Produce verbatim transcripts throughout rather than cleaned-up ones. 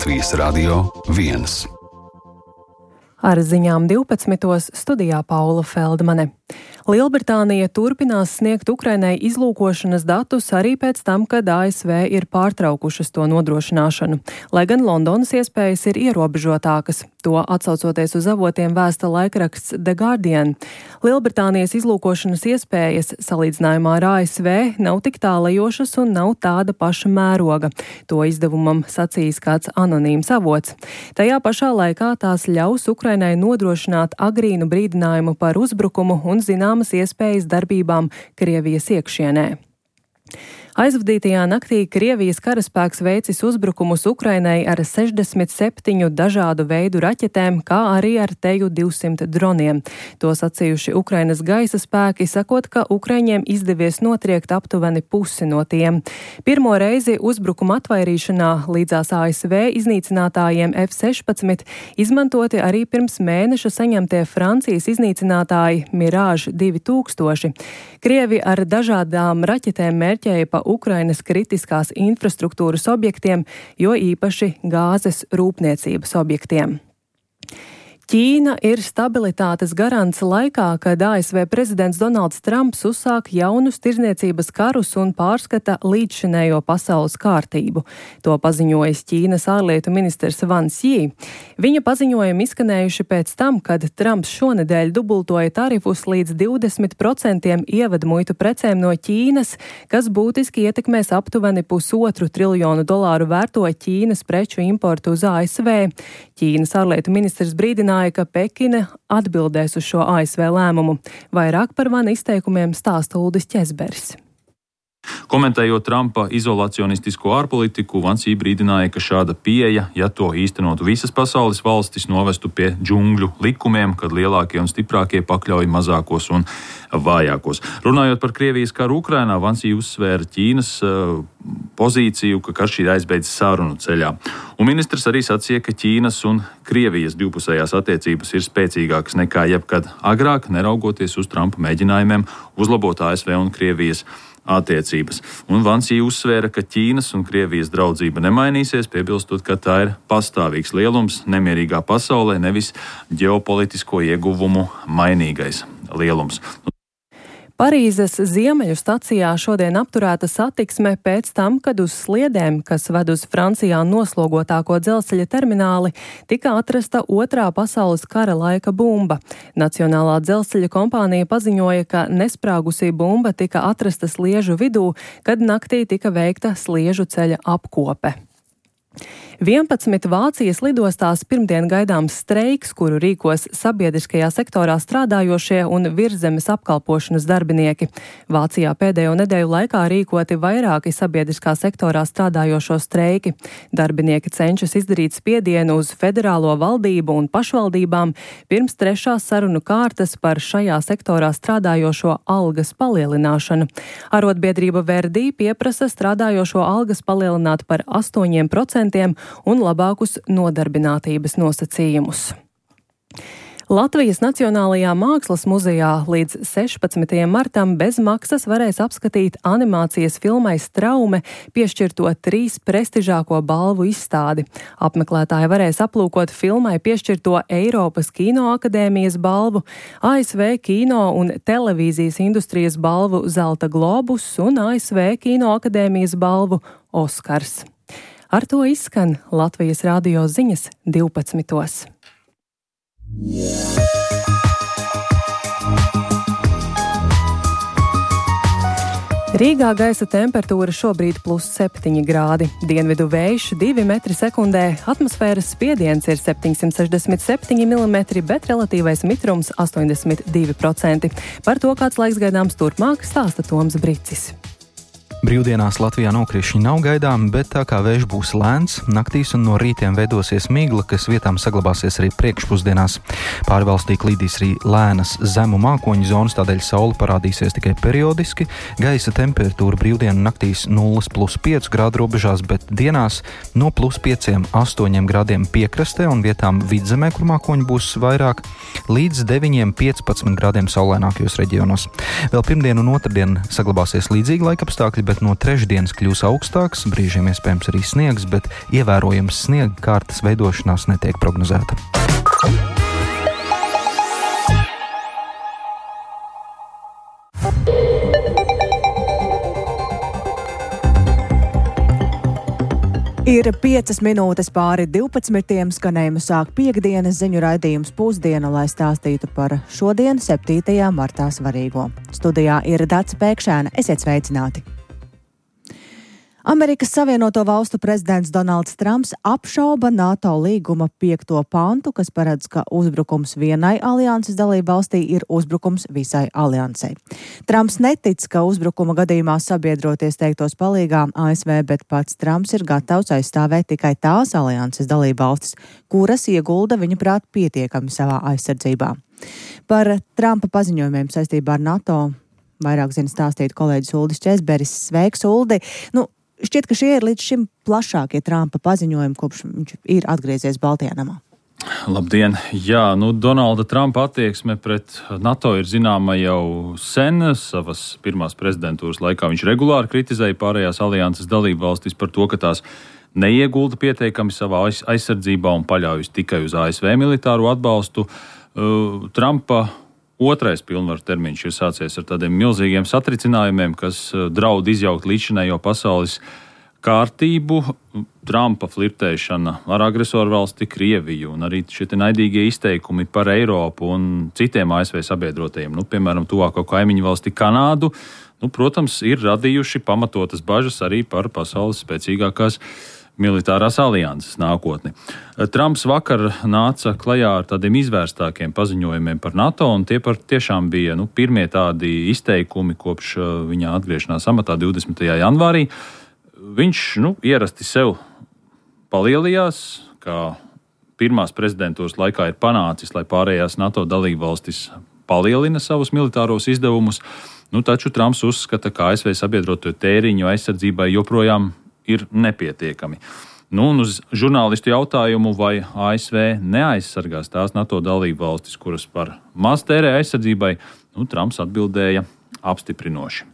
Latvijas Radio viens. Ar ziņām divpadsmitos studijā Paula Feldmane. Lielbritānija turpinās sniegt Ukrainai izlūkošanas datus arī pēc tam, kad A S V ir pārtraukušas to nodrošināšanu, lai gan Londonas iespējas ir ierobežotākas. To atsaucoties uz avotiem vēsta laikraksts The Guardian. Lielbritānijas izlūkošanas iespējas salīdzinājumā ar A S V nav tik tālajošas un nav tāda paša mēroga. To izdevumam sacījis kāds anonīms avots. Tajā pašā laikā tās ļaus Ukrainai nodrošināt agrīnu brīdinājumu par uzbrukumu un zināmas iespējas darbībām Krievijas iekšienē. Aizvadītajā naktī Krievijas karaspēks veicis uzbrukumus Ukrainai ar sešdesmit septiņu dažādu veidu raķetēm, kā arī ar Teju divsimt droniem. To sacījuši Ukrainas gaisa spēki, sakot, ka Ukraiņiem izdevies notriekt aptuveni pusi no tiem. Pirmo reizi uzbrukuma atvairīšanā līdzās A S V iznīcinātājiem F sešpadsmit izmantoti arī pirms mēneša saņemtie Francijas iznīcinātāji Mirage divi tūkstoši. Krievi ar dažādām raķetēm mērķēja pa Ukrainas kritiskās infrastruktūras objektiem, jo īpaši gāzes rūpniecības objektiem. Ķīna ir stabilitātes garants laikā, kad A S V prezidents Donalds Trumps uzsāk jaunus tirzniecības karus un pārskata līdzšinējo pasaules kārtību. To paziņojis Ķīnas ārlietu ministrs Vans Jī. Viņa paziņojumi izskanējuši pēc tam, kad Trumps šonedēļ dubultoja tarifus līdz divdesmit procentiem ievadmuitu precēm no Ķīnas, kas būtiski ietekmēs aptuveni pusotru triljonu dolāru vērto Ķīnas preču importu uz A S V. Ķīnas ārlietu ministrs brīdināja, ka Pekina atbildēs uz šo A S V lēmumu. Vairāk par Vana izteikumiem stāsta Uldis Ķezberis. Komentējot Trumpa izolacionistisko ārpolitiku, Vans Jī brīdināja, ka šāda pieeja, ja to īstenotu visas pasaules valstis, novestu pie džungļu likumiem, kad lielākie un stiprākie pakļauj mazākos un vājākos. Runājot par Krievijas karu Ukrainā, Vans Jī uzsvēra Ķīnas uh, pozīciju, ka karš ir aizbeidzis sarunu ceļā. Un ministrs arī sacīja, ka Ķīnas un Krievijas divpusējās attiecības ir spēcīgākas nekā jebkad agrāk, neraugoties uz Trumpa mēģinājumiem uzlabot A S V un Krievijas attiecības. Un Vans Jī uzsvēra, ka Ķīnas un Krievijas draudzība nemainīsies, piebilstot, ka tā ir pastāvīgs lielums nemierīgā pasaulē, nevis ģeopolitisko ieguvumu mainīgais lielums. Parīzes ziemeļu stacijā šodien apturēta satiksme pēc tam, kad uz sliedēm, kas ved uz Francijā noslogotāko dzelzceļa termināli, tika atrasta otrā pasaules kara laika bumba. Nacionālā dzelzceļa kompānija paziņoja, ka nesprāgusī bumba tika atrasta sliežu vidū, kad naktī tika veikta sliežu ceļa apkope. vienpadsmit Vācijas lidostās pirmdien gaidāms streiks, kuru rīkos sabiedriskajā sektorā strādājošie un virszemes apkalpošanas darbinieki. Vācijā pēdējo nedēļu laikā rīkoti vairāki sabiedriskā sektorā strādājošo streiki. Darbinieki cenšas izdarīt spiedienu uz federālo valdību un pašvaldībām pirms trešās sarunu kārtas par šajā sektorā strādājošo algas palielināšanu. Arotbiedrība Verdi pieprasa strādājošo algas palielināt par astoņiem procentiem un labākus nodarbinātības nosacījumus. Latvijas Nacionālajā Mākslas muzejā līdz sešpadsmitajam martam bez maksas varēs apskatīt animācijas filmai Straume piešķirto trīs prestižāko balvu izstādi. Apmeklētāji varēs aplūkot filmai piešķirto Eiropas Kinoakadēmijas balvu, A S V kino un televīzijas industrijas balvu Zelta globus un A S V Kinoakadēmijas balvu Oskars. Ar to izskan Latvijas radio ziņas divpadsmitos. Rīgā gaisa temperatūra šobrīd plus septiņi grādi, dienvidu vējš divi metri sekundē, atmosfēras spiediens ir septiņsimt sešdesmit septiņi milimetri, bet relatīvais mitrums astoņdesmit divi procenti. Par to, kāds laiks gaidāms turpmāk, stāsta Toms Bricis. Brīvdienās Latvijā nokrišņi nav gaidāmi, bet tā kā vējš būs lēns, naktīs un no rītiem veidosies migla, kas vietām saglabāsies arī priekšpusdienās. Pāri valstī klīdīs arī lēnas zemu mākoņu zonas, tādēļ saule parādīsies tikai periodiski. Gaisa temperatūra brīvdienu naktīs nulles plus pieci grādu robežās, bet dienās no plus pieciem astoņiem grādiem piekrastē un vietām vidzemē, kur mākoņu būs vairāk, līdz deviņiem piecpadsmit grādiem saulainākajos reģionos. Vēl pirmdien un otrdien saglabāsies līdzīgi laikapstākļi, bet no trešdienas kļūs augstāks, brīžiem iespējams arī sniegs, bet ievērojams sniega kārtas veidošanās netiek prognozēta. Ir piecas minūtes pāri divpadsmitiem, skanējumu sāk piektdienas ziņu raidījums Pusdiena, lai stāstītu par šodien, septītajā martā svarīgo. Studijā ir Dace Pēkšēna, esiet sveicināti! Amerikas Savienoto Valstu prezidents Donalds Trumps apšauba NATO līguma piekto pantu, kas paredz, ka uzbrukums vienai alianses dalību valstī ir uzbrukums visai aliansei. Trumps netic, ka uzbrukuma gadījumā sabiedroties teiktos palīgā A S V, bet pats Trumps ir gatavs aizstāvēt tikai tās alianses dalību valstis, kuras iegulda viņa prāt pietiekami savā aizsardzībā. Par Trumpa paziņojumiem saistībā ar NATO vairāk zina stāstīt kolēģis Uldis Česberis. Sveiks, Uldi! Nu, šķiet, ka šie ir līdz šim plašākie Trumpa paziņojumi, kopš viņš ir atgriezies Baltijā namā. Labdien! Jā, nu Donalda Trumpa attieksme pret NATO ir zināma jau sen. Savas pirmās prezidentūras laikā viņš regulāri kritizēja pārējās alianses dalību valstis par to, ka tās neiegulda pietiekami savā aizsardzībā un paļaujas tikai uz A S V militāro atbalstu. Uh, Trumpa otrais pilnvaru termiņš ir sācies ar tādiem milzīgiem satricinājumiem, kas draud izjaukt līdzinējo pasaules kārtību. Trumpa flirtēšana ar agresoru valsti Krieviju un arī šie naidīgie izteikumi par Eiropu un citiem A S V sabiedrotajiem, nu, piemēram, tuvāko kaimiņu valsti Kanādu, nu, protams, ir radījuši pamatotas bažas arī par pasaules spēcīgākās militārās alianses nākotni. Trumps vakar nāca klajā ar tādiem izvērstākiem paziņojumiem par NATO, un tie par tiešām bija nu, pirmie tādi izteikumi kopš viņa atgriešanās amatā divdesmitajā janvārī. Viņš nu, ierasti sev palielījās, kā pirmās prezidentūras laikā ir panācis, lai pārējās NATO dalībvalstis palielina savus militāros izdevumus, nu, taču Trumps uzskata, ka A S V sabiedroto tēriņu aizsardzībai joprojām ir nepietiekami. Nu, un uz žurnālistu jautājumu, vai A S V neaizsargās tās NATO dalību valstis, kuras par maz tērē aizsardzībai, nu, Trumps atbildēja apstiprinoši.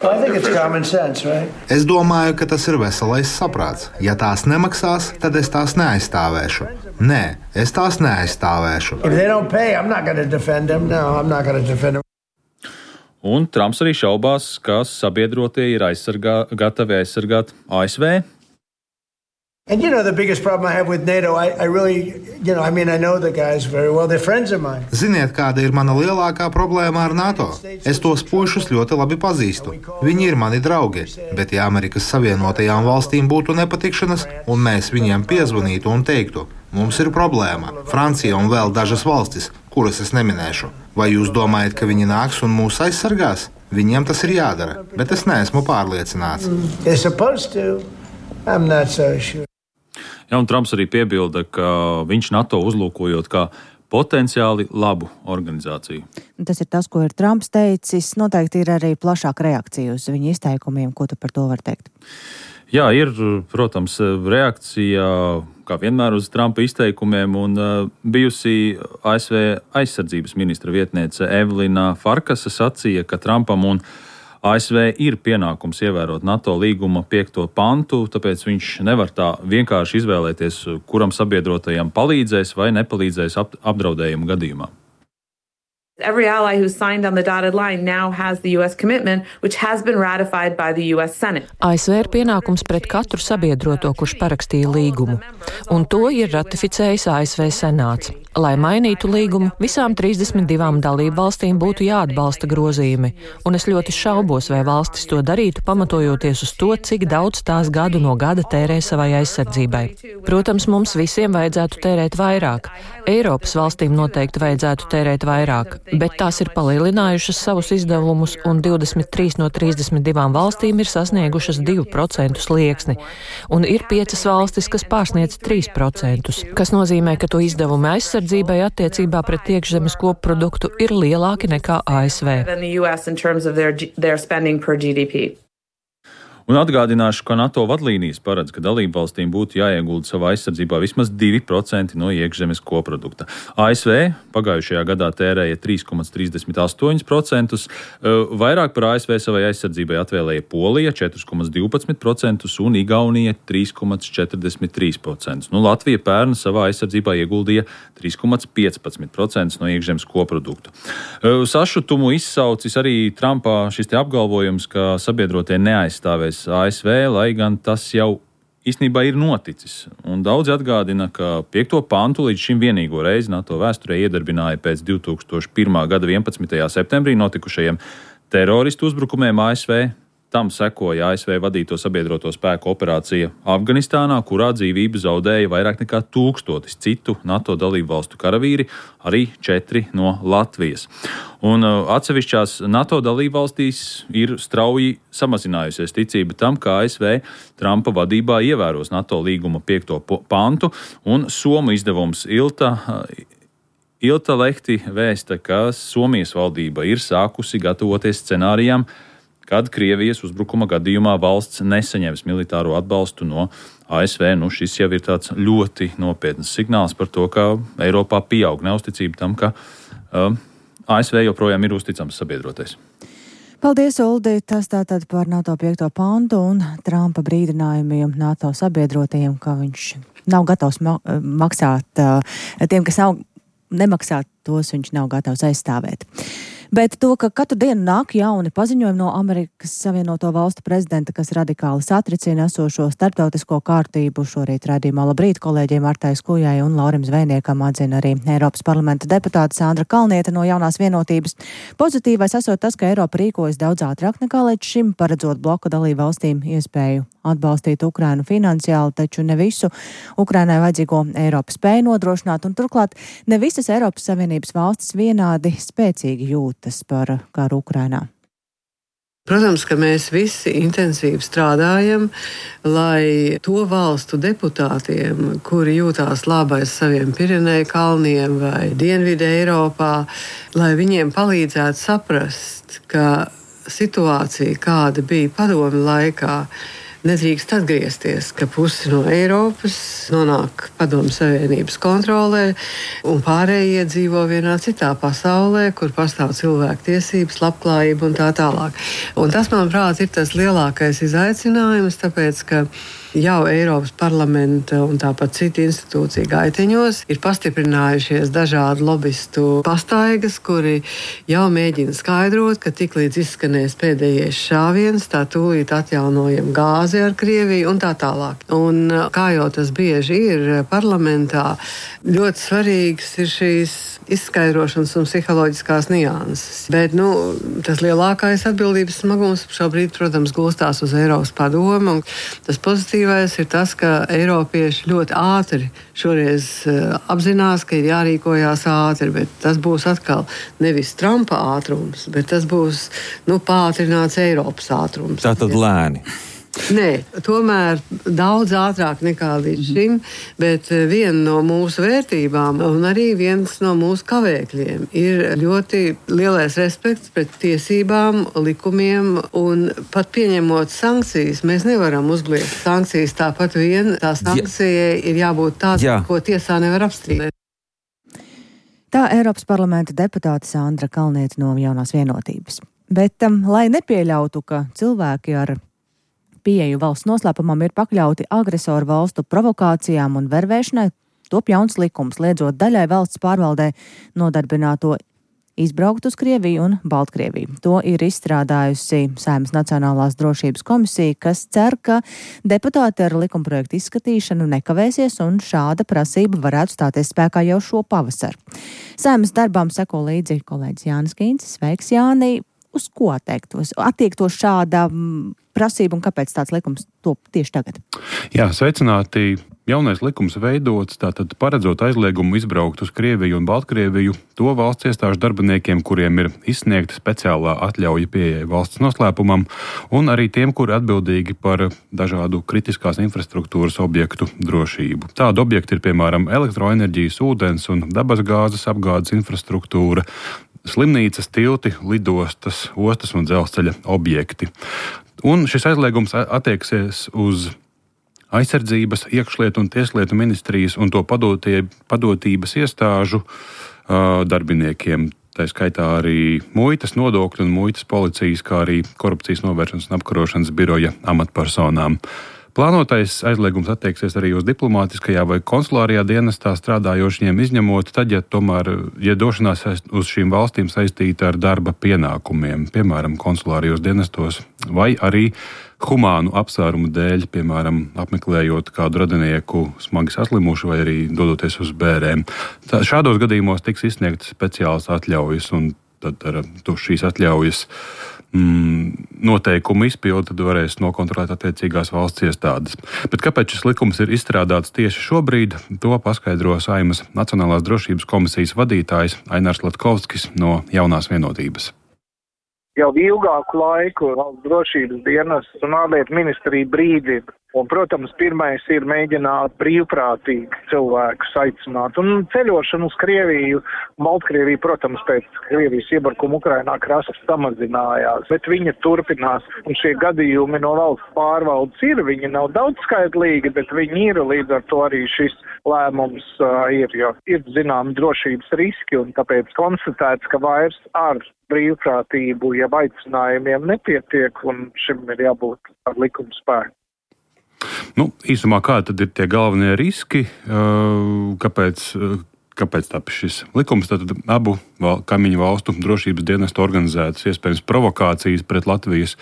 Sense, right? Es domāju, ka tas ir veselais saprāts. Ja tās nemaksās, tad es tās neaizstāvēšu. Nē, es tās neaizstāvēšu. Pay, no, Un Trumps arī šaubās, ka sabiedrotie ir aizsargā, gatavi aizsargāt A S V. And you know the biggest problem I have with NATO, I, I really, you know, I mean, I know the guys very well, they're friends of mine. Ziniet, kāda ir mana lielākā problēma ar NATO? Es tos pušus ļoti labi pazīstu. Viņi ir mani draugi, bet ja Amerikas Savienotajām valstīm būtu nepatikšanas, un mēs viņiem piezvanītu un teiktu, mums ir problēma, Francija un vēl dažas valstis, kuras es neminēšu. Vai jūs domājat, ka viņi nāks un mūs aizsargās? Viņiem tas ir jādara, bet es neesmu pārliecināts. They're supposed to. I'm not so sure. Jā, un Trumps arī piebilda, ka viņš NATO uzlūkojot kā potenciāli labu organizāciju. Tas ir tas, ko ir Trumps teicis. Noteikti ir arī plašāka reakcija uz viņa izteikumiem. Ko tu par to var teikt? Jā, ir, protams, reakcija, kā vienmēr, uz Trumpa izteikumiem, un bijusi A S V aizsardzības ministra vietniece Evelina Farkasa sacīja, ka Trumpam un A S V ir pienākums ievērot NATO līguma piekto pantu, tāpēc viņš nevar tā vienkārši izvēlēties, kuram sabiedrotajam palīdzēs vai nepalīdzēs apdraudējumu gadījumā. Every ally who signed on the dotted line now has the U S commitment, which has been ratified by the U S Senate. A S V ir pienākums pret katru sabiedroto, kurš parakstīja līgumu, un to ir ratificējis A S V Senāts. Lai mainītu līgumu, visām trīsdesmit divām dalību valstīm būtu jāatbalsta grozījumi, un es ļoti šaubos, vai valstis to darītu, pamatojoties uz to, cik daudz tās gadu no gada tērē savai aizsardzībai. Protams, mums visiem vajadzētu tērēt vairāk. Eiropas valstīm noteikti vajadzētu tērēt vairāk, bet tās ir palielinājušas savus izdevumus, un divdesmit trīs no trīsdesmit divām valstīm ir sasniegušas divu procentu slieksni, un ir piecas valstis, kas pārsniedz trīs procentus, kas nozīmē, ka to izdevumi aizsardzībai attiecībā pret iekšzemes koproduktu ir lielāki nekā A S V. Un atgādināšu, ka NATO vadlīnijas paredz, ka dalībvalstīm būtu jāiegulda savā aizsardzībā vismaz divi procenti no iekšzemes koprodukta. A S V pagājušajā gadā tērēja trīs komats trīsdesmit astoņi procenti, vairāk par A S V savai aizsardzībai atvēlēja Polija četri komats divpadsmit procenti un Igaunija trīs komats četrdesmit trīs procenti. Nu, Latvija pērn savā aizsardzībā ieguldīja trīs komats piecpadsmit procenti no iekšzemes koprodukta. Sašutumu izsaucis arī Trumpā šis te apgalvojums, ka sabiedrotie neaizstāvēs A S V, lai gan tas jau īstenībā ir noticis. Un daudzi atgādina, ka piekto pantu līdz šim vienīgo reizi NATO vēsturē iedarbināja pēc divi tūkstoši pirmā gada vienpadsmitajā septembrī notikušajiem teroristu uzbrukumiem A S V. Tam sekoja A S V vadīto sabiedroto spēku operācija Afganistānā, kurā dzīvību zaudēja vairāk nekā tūkstotis citu NATO dalību valstu karavīri, arī četri no Latvijas. Un atsevišķās NATO dalību valstīs ir strauji samazinājusies ticība tam, ka A S V Trumpa vadībā ievēros NATO līguma piekto pantu, un Somu izdevums Ilta Ilta Lehti vēsta, ka Somijas valdība ir sākusi gatavoties scenārijām, kad Krievijas uzbrukuma gadījumā valsts nesaņems militāro atbalstu no A S V. Nu, šis jau ir tāds ļoti nopietns signāls par to, ka Eiropā pieaug neusticība tam, ka uh, A S V joprojām ir uzticams sabiedrotais. Paldies, Uldi. Tas tātad par NATO piekto pantu un Trumpa brīdinājumiem NATO sabiedrotajiem, ka viņš nav gatavs ma- maksāt uh, tiem, kas nav nemaksāt, tos viņš nav gatavs aizstāvēt. Bet to, ka katru dienu nāk jauni paziņojumi no Amerikas Savienoto Valstu prezidenta, kas radikāli satricina esošo starptautisko kārtību, šorīt raidījumā Labrīt kolēģiem Artai Skujai un Laurim Zvejniekam atzina arī Eiropas parlamenta deputāte Sandra Kalniete no Jaunās vienotības. Pozitīvais esot tas, ka Eiropa rīkojas daudz ātrāk nekā līdz šim, paredzot bloku dalību valstīm iespēju atbalstīt Ukrainu finansiāli, taču ne visu Ukrainai vajadzīgo Eiropa spēja nodrošināt, un turklāt ne visas Eiropas Savienības valstis vienādi spēcīgi jūtas par karu Ukrainā. Protams, ka mēs visi intensīvi strādājam, lai to valstu deputātiem, kuri jūtās labi aiz saviem Pireneju kalniem vai Dienvidu Eiropā, lai viņiem palīdzētu saprast, ka situācija, kāda bija padomi laikā, nedrīkst atgriezties, ka pusi no Eiropas nonāk Padomju Savienības kontrolē un pārējie dzīvo vienā citā pasaulē, kur pastāv cilvēku tiesības, labklājība un tā tālāk. Un tas, manuprāt, ir tas lielākais izaicinājums, tāpēc, ka jau Eiropas parlamenta un tāpat citu institūciju gaiteņos ir pastiprinājušies dažādi lobistu pastaigas, kuri jau mēģina skaidrot, ka tik līdz izskanēs pēdējais šāviens, tā tūlīt atjaunojam gāzi ar Krieviju un tā tālāk. Un kā jau tas bieži ir parlamentā, ļoti svarīgs ir šīs izskaidrošanas un psiholoģiskās nianses. Bet, nu, tas lielākais atbildības smagums šobrīd, protams, gulstās uz Eiropas padomu, un tas pozitīvais ir tas, ka eiropieši ļoti ātri šoreiz uh, apzinās, ka ir jārīkojās ātri, bet tas būs atkal nevis Trumpa ātrums, bet tas būs, nu, pātrināts Eiropas ātrums. Tātad lēni. Nē, tomēr daudz ātrāk nekā līdz šim, bet viena no mūsu vērtībām un arī viens no mūsu kavēkļiem ir ļoti lielais respekts pret tiesībām, likumiem, un pat pieņemot sankcijas, mēs nevaram uzliekt sankcijas tāpat vien. Tā sankcijai ir jābūt tāda, ko tiesā nevar apstrīdēt. Tā Eiropas parlamenta deputāte Sandra Kalniete no Jaunās vienotības. Bet, um, lai nepieļautu, ka cilvēki ar pieeju valsts noslēpumam ir pakļauti agresoru valstu provokācijām un vervēšanai, top jauns likums, liedzot daļai valsts pārvaldē nodarbināto izbraukt uz Krieviju un Baltkrieviju. To ir izstrādājusi Saeimas Nacionālās drošības komisija, kas cer, ka deputāti ar likumprojektu izskatīšanu nekavēsies un šāda prasība varētu stāties spēkā jau šo pavasaru. Saeimas darbām seko līdzi kolēģis Jānis Kīncis. Sveiks, Jāni! Uz ko attiektos, attiektos šāda prasība un kāpēc tāds likums top tieši tagad? Jā, sveicināti. Jaunais likums veidots, tātad paredzot aizliegumu izbraukt uz Krieviju un Baltkrieviju to valsts iestāžu darbiniekiem, kuriem ir izsniegta speciālā atļauja pieejai valsts noslēpumam, un arī tiem, kuri atbildīgi par dažādu kritiskās infrastruktūras objektu drošību. Tādi objekti ir, piemēram, elektroenerģijas, ūdens un dabasgāzes apgādes infrastruktūra, slimnīcas, tilti, lidostas, ostas un dzelzceļa objekti. Un šis aizliegums attieksies uz aizsardzības, iekšlietu un tieslietu ministrijas un to padotie, padotības iestāžu uh, darbiniekiem. Tā skaitā arī muitas, nodokļu un muitas policijas, kā arī korupcijas novēršanas un apkarošanas biroja amatpersonām. Plānotais aizliegums attieksies arī uz diplomātiskajā vai konsulārajā dienestā strādājošiem, izņemot tad, ja tomēr, ja došanās uz šīm valstīm saistīta ar darba pienākumiem, piemēram, konsulārajos dienestos, vai arī humānu apsvērumu dēļ, piemēram, apmeklējot kādu radinieku smagi saslimušu vai arī dodoties uz bērēm. Tā, šādos gadījumos tiks izsniegtas speciālas atļaujas, un tad ar šīs atļaujas mm, noteikumu izpildi tad varēs nokontrolēt attiecīgās valsts iestādes. Bet kāpēc šis likums ir izstrādāts tieši šobrīd, to paskaidro Saeimas Nacionālās drošības komisijas vadītājs Ainārs Latkovskis no Jaunās vienotības. Jau ilgāku laiku valsts drošības dienests un ārlietu ministrija brīdina. Un, protams, pirmais ir mēģināt brīvprātīgi cilvēkus aicināt. Un ceļošana uz Krieviju, Baltkrieviju, protams, pēc Krievijas iebrukuma Ukrainā krasta samazinājās, bet viņa turpinās. Un šie gadījumi no valsts pārvaldes ir, viņi nav daudzskaitlīgi, bet viņi ir, līdz ar to arī šis lēmums uh, ir, jo ir zinām drošības riski, un tāpēc konstatēts, ka vairs ar brīvprātību, ja aicinājumiem nepietiek, un šim ir jābūt ar likuma spēku. Nu, īsumā, kādi tad ir tie galvenie riski, kāpēc, kāpēc tāpēc šis likums? Tātad abu val, kaimiņu valstu drošības dienestu organizētas iespējams provokācijas pret Latvijas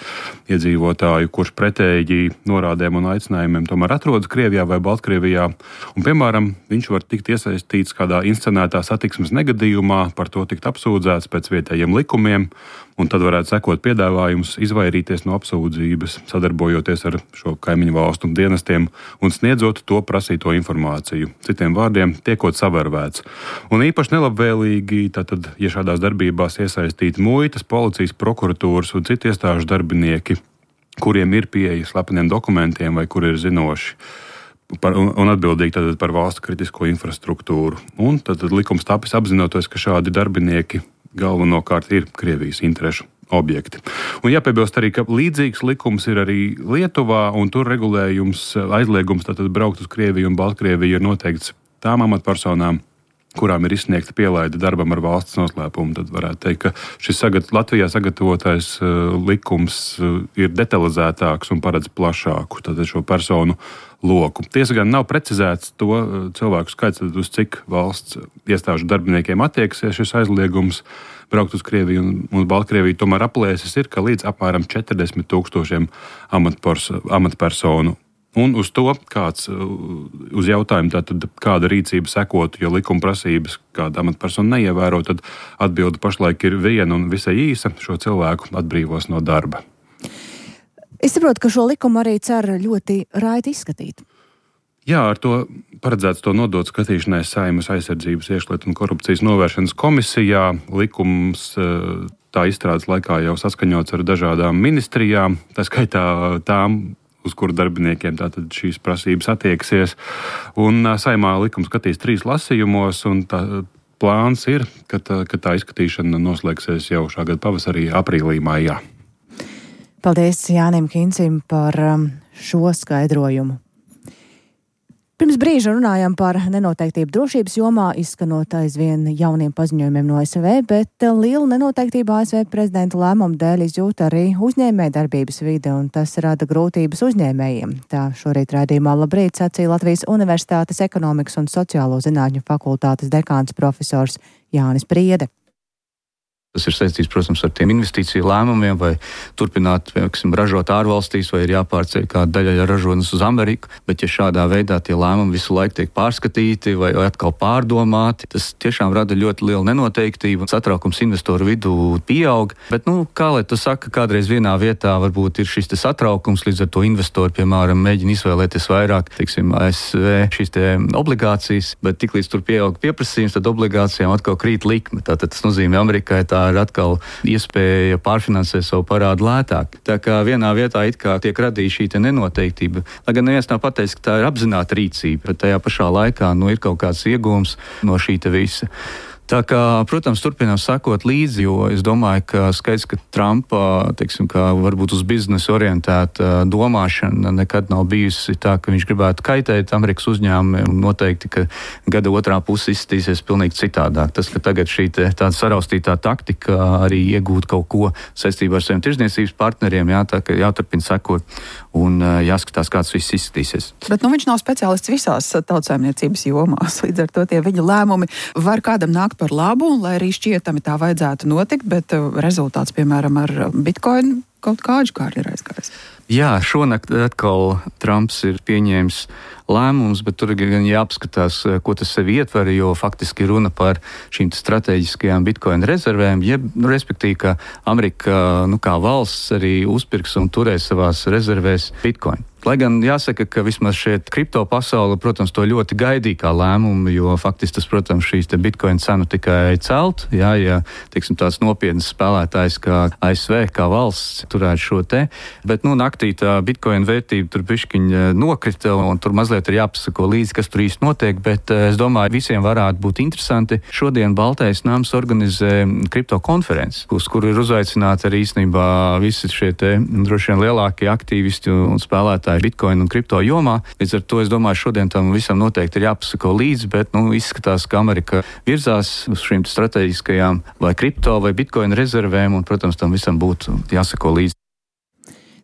iedzīvotāju, kurš pretēji norādēm un aicinājumiem tomēr atrodas Krievijā vai Baltkrievijā. Un, piemēram, viņš var tikt iesaistīts kādā inscenētā satiksmes negadījumā, par to tikt apsūdzēts pēc vietējiem likumiem, un tad varētu sekot piedāvājums izvairīties no apsūdzības, sadarbojoties ar šo kaimiņu valstu dienestiem un sniedzot to prasīto informāciju. Citiem vārdiem, tiekot savērvēts. Un īpaši nelabvēlīgi, tātad, ja šādās darbībās iesaistīti muitas, policijas, prokuratūras un citu iestāžu darbinieki, kuriem ir pieeja slepeniem dokumentiem vai kuri ir zinoši par, un, un atbildīgi tātad par valsts kritisko infrastruktūru. Un tad likums tapis apzinoties, ka šādi darbinieki galvenokārt ir Krievijas interešu objekti. Un jāpiebilst arī, ka līdzīgs likums ir arī Lietuvā, un tur regulējums, aizliegums tātad braukt uz Krieviju un Baltkrieviju ir noteikts tām amatpersonām, kurām ir izsniegta pielaide darbam ar valsts noslēpumu. Tad varētu teikt, ka šis sagat, Latvijā sagatavotais uh, likums uh, ir detalizētāks un paredz plašāku tātad šo personu loku. Tiesa gan nav precizēts to uh, cilvēku skaits, uz cik valsts iestāžu darbiniekiem attieksies šis aizliegums braukt uz Krieviju un, un Baltkrieviju. Tomēr aplēses ir, ka līdz apmēram četrdesmit tūkstošiem amatpersonu. Un uz to, kāds, uz jautājumu, tātad, kāda rīcība sekotu, jo likuma prasības kāda amatpersona neievēro, tad atbilde pašlaik ir viena un visai īsa: šo cilvēku atbrīvos no darba. Es saprotu, ka šo likumu arī cer ļoti raiti izskatīt. Jā, ar to paredzēts to nodot skatīšanai Saeimas aizsardzības, iekšlietu un korupcijas novēršanas komisijā. Likums tā izstrādes laikā jau saskaņots ar dažādām ministrijām, tā skaitā tām, uz kuru darbiniekiem tātad šīs prasības attieksies. Un Saeimā likums skatīs trīs lasījumos, un tā plāns ir, ka tā, ka tā izskatīšana noslēgsies jau šā gada pavasarī, aprīlī, maijā. Paldies Jānim Kincim par šo skaidrojumu. Pirms brīža runājām par nenoteiktību drošības jomā, izskanot aizvien jauniem paziņojumiem no A S V, bet liela nenoteiktība A S V prezidenta lēmumu dēļ izjūt arī uzņēmējdarbības vide, un tas rada grūtības uzņēmējiem. Tā šorīt raidījumā Labrīt sacīja Latvijas Universitātes ekonomikas un sociālo zinātņu fakultātes dekāns profesors Jānis Priede. Tas ir saistīts, protams, ar tiem investīciju lēmumiem, vai turpināt, piemēram, ražot ārvalstīs, vai ir jāpārceļ kāda daļa ražotnes uz Ameriku. Bet, ja šādā veidā tie lēmumi visu laiku tiek pārskatīti vai atkal pārdomāti, tas tiešām rada ļoti lielu nenoteiktību. Satraukums investoru vidū pieaug. Bet, nu, kā lai tu saka, kādreiz vienā vietā varbūt ir šis te satraukums, līdz ar to investori, piemēram, mēģina izvēlēties vairāk, teiksim, A S V šīs te obligācijas, bet tiklīdz tur pieaug pieprasījums, tad obligācijām atkal krīt likme. Tātad tas nozīmē Amerikai tā ir atkal iespēja pārfinansēt savu parādu lētāk. Tā kā vienā vietā it kā tiek radīta šī nenoteiktība. Lai gan neviens nav pateicis, ka tā ir apzināta rīcība, bet tajā pašā laikā nu, ir kaut kāds iegūms no šī visa. Tā kā, protams, turpinām sekot līdzi, jo es domāju, ka skaidrs, ka Trumpa, teiksim, kā varbūt uz biznesu orientēta domāšana nekad nav bijusi tā, ka viņš gribētu kaitēt Amerikas uzņēmumiem, un noteikti, ka gada otrā puse izskatīsies pilnīgi citādāk. Tas, ka tagad šī te, tāda saraustītā taktika arī iegūt kaut ko saistībā ar saviem tirdzniecības partneriem, jā, tā ka jāturpina sekot un jāskatās, kāds viss izskatīsies. Bet nu, viņš nav speciālists visās tautsājumniecības jomās, līdz ar to tie viņa lēmumi var kādam nākt par labu, un lai arī šķietami tā vajadzētu notikt, bet rezultāts, piemēram, ar Bitcoin kaut kādu kārtu ir aizgājis. Jā, šonakt atkal Trumps ir pieņēmis lēmums, bet tur gan jāapskatās, ko tas sevi ietver, jo faktiski runa par šīm strateģiskajām Bitcoin rezervēm, jeb, nu, respektīvi, ka Amerika, nu, kā valsts arī uzpirks un turēs savās rezervēs Bitcoin. Lai gan jāsaka, ka vismaz šeit kripto pasaule, protams, to ļoti gaidīja kā lēmumu, jo faktiski tas, protams, šīs te Bitcoin cenu tikai celt, jā, ja, teiksim, tāds nopietnas spēlētājs kā A S V, kā valsts turētu šo te, bet, nu, naktī tā Bitcoin vērtība tur bišķiņa nokrita, un tur mazliet ir jāpasako līdzi, kas tur īsti notiek, bet es domāju, visiem varētu būt interesanti. Šodien Baltais nams organizē kripto konferenci, uz kuru ir uzaicināti arī īstenībā visi šie te droši vien lielākie aktīvisti un spēlētāji Bitcoin un kripto jomā. Līdz ar to es domāju, šodien tam visam noteikti ir jāpasako līdzi, bet nu, izskatās, ka Amerika virzās uz šīm strateģiskajām vai kripto vai Bitcoin rezervēm, un, protams, tam visam būtu jāsako līdzi.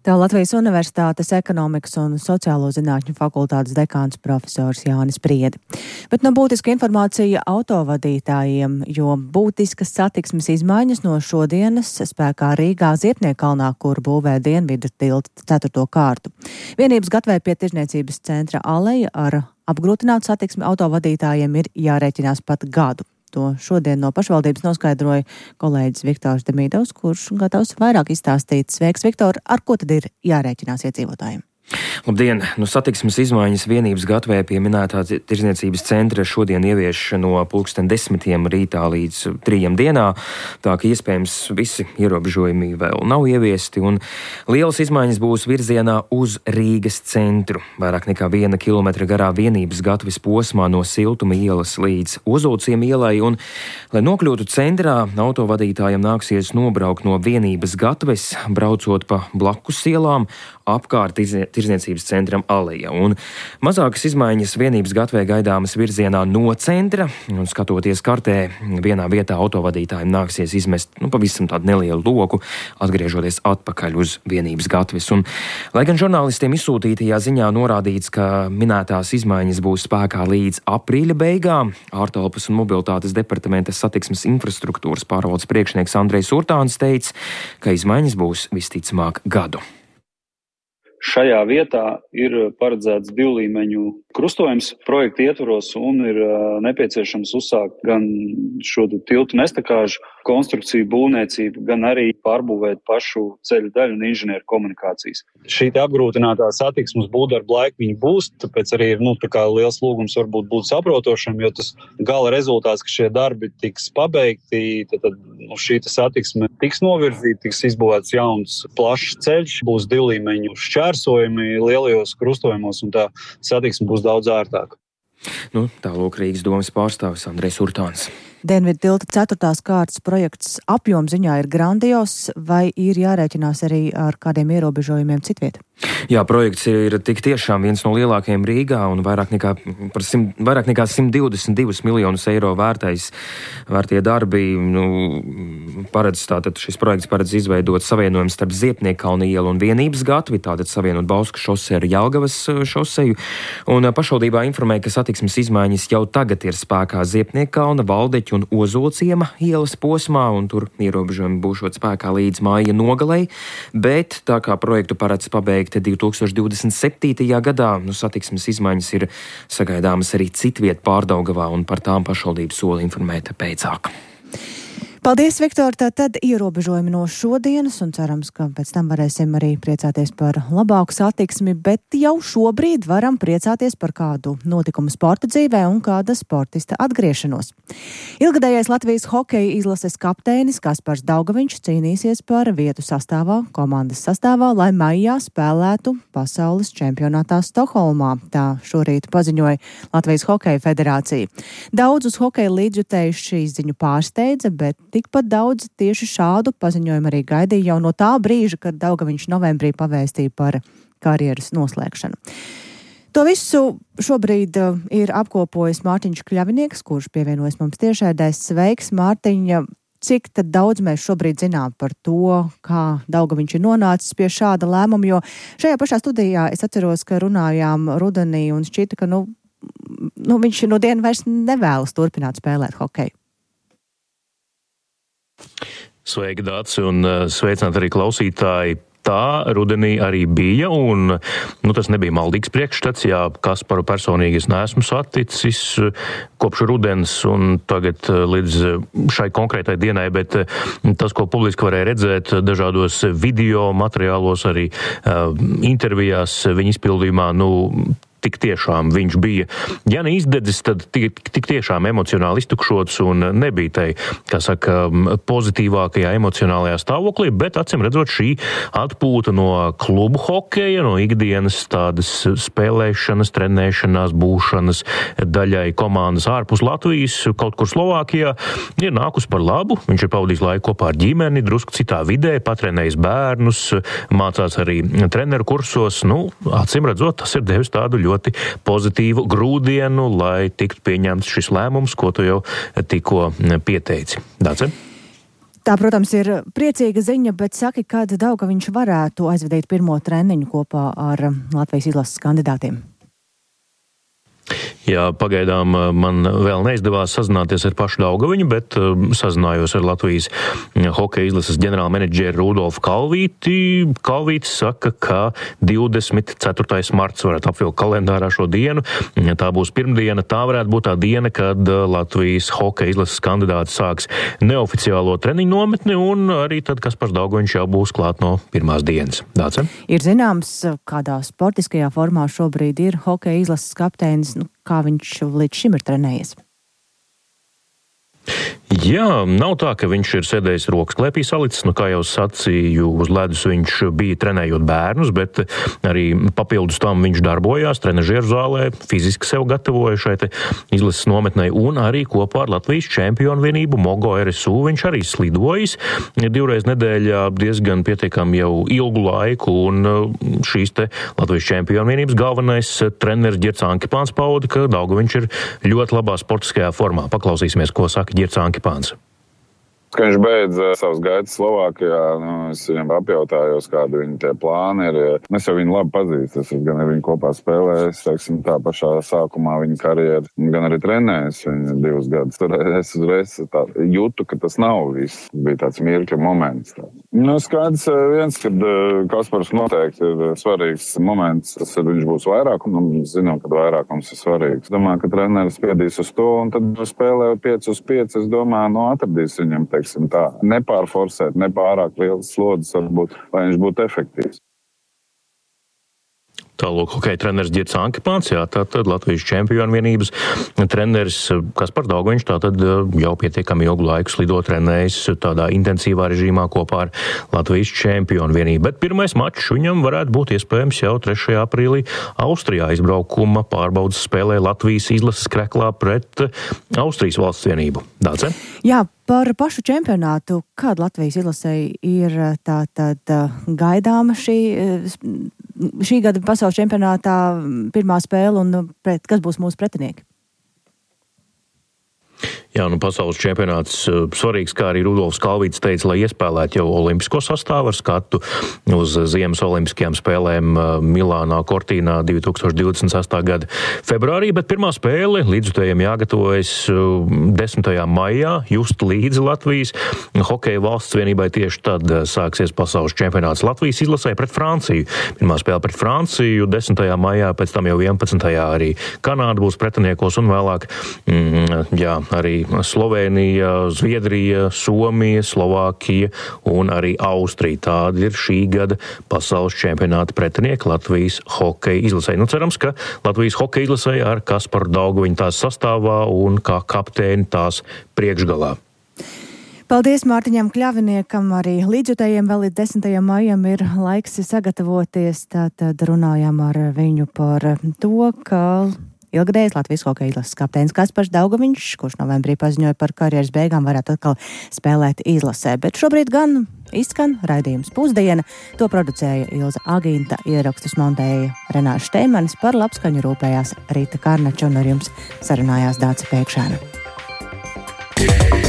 Tā Latvijas Universitātes ekonomikas un sociālo zinātņu fakultātes dekāns profesors Jānis Priedi. Bet no būtiska informācija autovadītājiem, jo būtiskas satiksmes izmaiņas no šodienas spēkā Rīgā Ziepniekalnā, kur būvē Dienvidu tilta ceturto kārtu. Vienības gatavē pie Tirdzniecības centra aleja ar apgrūtinātu satiksmi autovadītājiem ir jārēķinās pat gadu. To šodien no pašvaldības noskaidroja kolēģis Viktors Demīdovs, kurš gatavs vairāk izstāstīt. Sveiks, Viktor! Ar ko tad ir jārēķinās iedzīvotājiem? Labdien! Nu, satiksmes izmaiņas vienības gatavē pie minētā Tirdzniecības centra šodien ievieš no pulksten desmitiem rītā līdz trījiem dienā, tā ka iespējams visi ierobežojumi vēl nav ieviesti, un lielas izmaiņas būs virzienā uz Rīgas centru. Vairāk nekā viena kilometra garā vienības gataves posmā no Siltuma ielas līdz Ozolciem ielai, un, lai nokļūtu centrā, autovadītājiem nāksies nobraukt no vienības gataves, braucot pa blakus ielām, apkārt Tirdzniecības centram aleja. Un mazākas izmaiņas vienības gatavē gaidāmas virzienā no centra, un skatoties kartē, vienā vietā autovadītājiem nāksies izmest nu, pavisam tādu nelielu loku, atgriežoties atpakaļ uz vienības gataves. Un, lai gan žurnālistiem izsūtītajā ziņā norādīts, ka minētās izmaiņas būs spēkā līdz aprīļa beigām, ārtelpas un mobilitātes departamenta satiksmes infrastruktūras pārvaldes priekšnieks Andrejs Urtāns teica, ka izmaiņas būs visticamāk gadu. Šajā vietā ir paredzēts divlīmeņu krustojums projekta ietvaros un ir nepieciešams uzsākt gan šo tiltu nestakāžu konstrukciju būvniecību, gan arī pārbūvēt pašu ceļu daļu un inženieru komunikācijas. Šī te apgrūtinātā satiksmes būvdarba laika viņa būs, tāpēc arī ir nu, tā kā liels lūgums varbūt būt saprotošam, jo tas gala rezultāts, ka šie darbi tiks pabeigti, tad, tad nu, šī satiksme tiks novirzīta, tiks izbūvēts jauns plašs ceļš, būs divlīmeņu šķērsojumi lielajos krustojumos un tā satiksme būs daudz ārtāka. Nu, tālūk Rīgas domas pārstāvis Andrejs Urtāns. Dienvidu tilta ceturtās kārtas projekts apjomziņā ir grandios, vai ir jārēķinās arī ar kādiem ierobežojumiem citviet? Jā, projekts ir tik tiešām viens no lielākajiem Rīgā un vairāk nekā, par simt, vairāk nekā simt divdesmit divus miljonus eiro vērtais vērtie darbi. Nu, paredz, tātad šis projekts paredz izveidot savienojumu starp Ziepniekalna ielu un Vienības gatavi, tātad savienot Bauskas šoseju ar Jelgavas šoseju. Un pašvaldībā informē, ka satiksmes izmaiņas jau tagad ir spēkā Ziepniekalna, Valdeķu un Ozolciema ielas posmā, un tur ierobežojumi būšot spēkā līdz māja nogalei, bet tā kā projektu paredz pabeigt divi tūkstoši divdesmit septītajā gadā, nu, satiksmes izmaiņas ir sagaidāmas arī citviet Pārdaugavā, un par tām pašvaldības sola informēta pēcāk. Paldies, Viktor! Tātad ierobežojumi no šodienas un cerams, ka pēc tam varēsim arī priecāties par labāku satiksmi, bet jau šobrīd varam priecāties par kādu notikumu sporta dzīvē un kāda sportista atgriešanos. Ilgadējais Latvijas hokeja izlases kapteinis Kaspars Daugaviņš cīnīsies par vietu sastāvā, komandas sastāvā, lai maijā spēlētu pasaules čempionātā Stokholmā. Tā šorīt paziņoja Latvijas hokeja federācija. Daudzus hokeja līdzjutējus šī ziņu pārsteidza, bet tikpat daudz tieši šādu paziņojumu arī gaidīja jau no tā brīža, kad Daugaviņš novembrī pavēstīja par karjeras noslēgšanu. To visu šobrīd ir apkopojis Mārtiņš Kļavinieks, kurš pievienojas mums tiešraidēs. Sveiks, Mārtiņa! Cik tad daudz mēs šobrīd zinām par to, kā Daugaviņš ir nonācis pie šāda lēmuma, jo šajā pašā studijā es atceros, ka runājām rudenī un šķita, ka nu, nu, viņš no dienu vairs nevēlas turpināt spēlēt hokeju. Sveiki, Dāci, un sveicināt arī klausītāji. Tā rudenī arī bija, un nu, tas nebija maldīgs priekšstats, jā, Kasparu personīgi es neesmu saticis kopš rudens un tagad līdz šai konkrētai dienai, bet tas, ko publiski varēja redzēt dažādos video materiālos, arī uh, intervijās viņa izpildījumā, nu, tik tiešām viņš bija, ja ne izdedzis, tad tik, tik tiešām emocionāli iztukšots un nebija tai, kā saka, pozitīvākajā emocionālajā stāvoklī, bet acīm redzot šī atpūta no klubu hokeja, no ikdienas tādas spēlēšanas, trenēšanās, būšanas daļai komandas ārpus Latvijas, kaut kur Slovākijā, ir nākus par labu. Viņš ir pavadījis laiku kopā ar ģimeni, drusku citā vidē, patrenējis bērnus, mācās arī treneru kursos. Nu, acīm redzot, tas ir devis tādu ļoti pozitīvu grūdienu, lai tiktu pieņemts šis lēmums, ko tu jau tikko pieteici. Dāce? Tā, protams, ir priecīga ziņa, bet saki, kad Daugaviņš varētu aizvadīt pirmo treniņu kopā ar Latvijas izlases kandidātiem? Jā, pagaidām man vēl neizdevās sazināties ar pašu Daugaviņu, bet sazinājos ar Latvijas hokeja izlases ģenerāla menedžeru Rudolfu Kalvīti. Kalvītis saka, ka divdesmit ceturtais marts varētu apvilkt kalendārā šo dienu. Tā būs pirmdiena, tā varētu būt tā diena, kad Latvijas hokeja izlases kandidāti sāks neoficiālo treniņu nometni, un arī tad Kaspars Daugaviņš jau būs klāt no pirmās dienas. Dāce? Ir zināms, kādā sportiskajā formā šobrīd ir hokeja izlases kapteinis, nu, kā viņš līdz šim ir trenējies? Jā, nav tā, ka viņš ir sēdējis rokas klēpī salicis, nu kā jau sacīju, uz ledus viņš bija trenējot bērnus, bet arī papildus tam viņš darbojās trenažieru zālē, fiziski sev gatavoja šai te izlases nometnei, un arī kopā ar Latvijas čempionu vienību Mogo R S U viņš arī slidojis divreiz nedēļā diezgan pietiekami jau ilgu laiku, un šīs te Latvijas čempionu vienības galvenais treneris Ģirds Ankipāns pauda, ka Daugaviņš ir ļoti labā sportiskajā formā. Paklausīsimies, ko saka Ģirds Ankipāns. Kad viņš beidz savus gaitas Slovākijā, nu, es viņam apjautājos, kādi viņa tie plāni ir. Es jau viņu labi pazīstu, es gan ar viņu kopā spēlējis, teiksim, tā pašā sākumā viņa karjeras, gan arī trenējis viņu divus gadus. Tur es uzreiz tā jūtu, ka tas nav viss. Bija tāds mirkļa moments. Tā. Nu, skaidrs viens, kad Kaspars noteikti ir svarīgs moments, tas ir, viņš būs vairākums, un zinām, ka vairākums ir svarīgs. Domāju, ka treneris spiedīs uz to, un tad spēlē pieci uz pieci, es domāju, nu, atradīs viņam, teiksim tā, nepārforsēt, nepārāk liels slodzes varbūt, lai viņš būtu efektīvs. Tālūk, hokeja treneris Ģirds Ankipāns, jā, tātad Latvijas čempionu vienības treneris Kaspars Daugaviņš, tātad jau pietiekami ilgu laiku slido trenējis tādā intensīvā režīmā kopā ar Latvijas čempionu vienību. Bet pirmais mačs viņam varētu būt iespējams jau trešajā aprīlī Austrijā izbraukuma pārbaudas spēlē Latvijas izlases Kreklā pret Austrijas valsts vienību. Dāce? Jā, par pašu čempionātu, kāda Latvijas izlasei ir tātad gaidāma šī, šī gada pasaules čempionātā pirmā spēle un pret, kas būs mūsu pretinieki? Jā, nu pasaules čempionāts svarīgs, kā arī Rudolfs Kalvītis teica, lai iespēlētu jau olimpisko sastāvu ar skatu uz Ziemas olimpiskajām spēlēm Milānā, Cortīnā divi tūkstoši divdesmit sestā gada februārī, bet pirmā spēle līdzutējiem jāgatavojas desmitajā maijā, just līdzi Latvijas hokeja valsts vienībai tieši tad sāksies pasaules čempionāts Latvijas izlasē pret Franciju. Pirmā spēle pret Franciju desmitajā maijā, pēc tam jau vienpadsmitajā arī Kanāda būs pretiniekos un vēlāk, mm, jā, arī Slovēnija, Zviedrija, Somija, Slovākija un arī Austrija. Tādi ir šī gada pasaules čempionāta pretinieki Latvijas hokeja izlasē. Nu, cerams, ka Latvijas hokeja izlasē ar Kasparu Daugaviņu tās sastāvā un kā kapteini tās priekšgalā. Paldies Mārtiņam Kļaviniekam, arī līdzjutējiem vēl līdz desmitajam maijam ir laiks sagatavoties, tātad runājām ar viņu par to, ka ilgadējais Latvijas hokeja izlases kapteinis Kaspars Daugaviņš, kurš novembrī paziņoja par karjeras beigām, varētu atkal spēlēt izlasē, bet šobrīd gan izskan raidījums Pusdiena, to producēja Ilza Agīnta, ierakstus montēja Renāša Šteimanis, par labskaņu rūpējās Rīta Karnača un ar jums sarunājās Dāca Pēkšēna.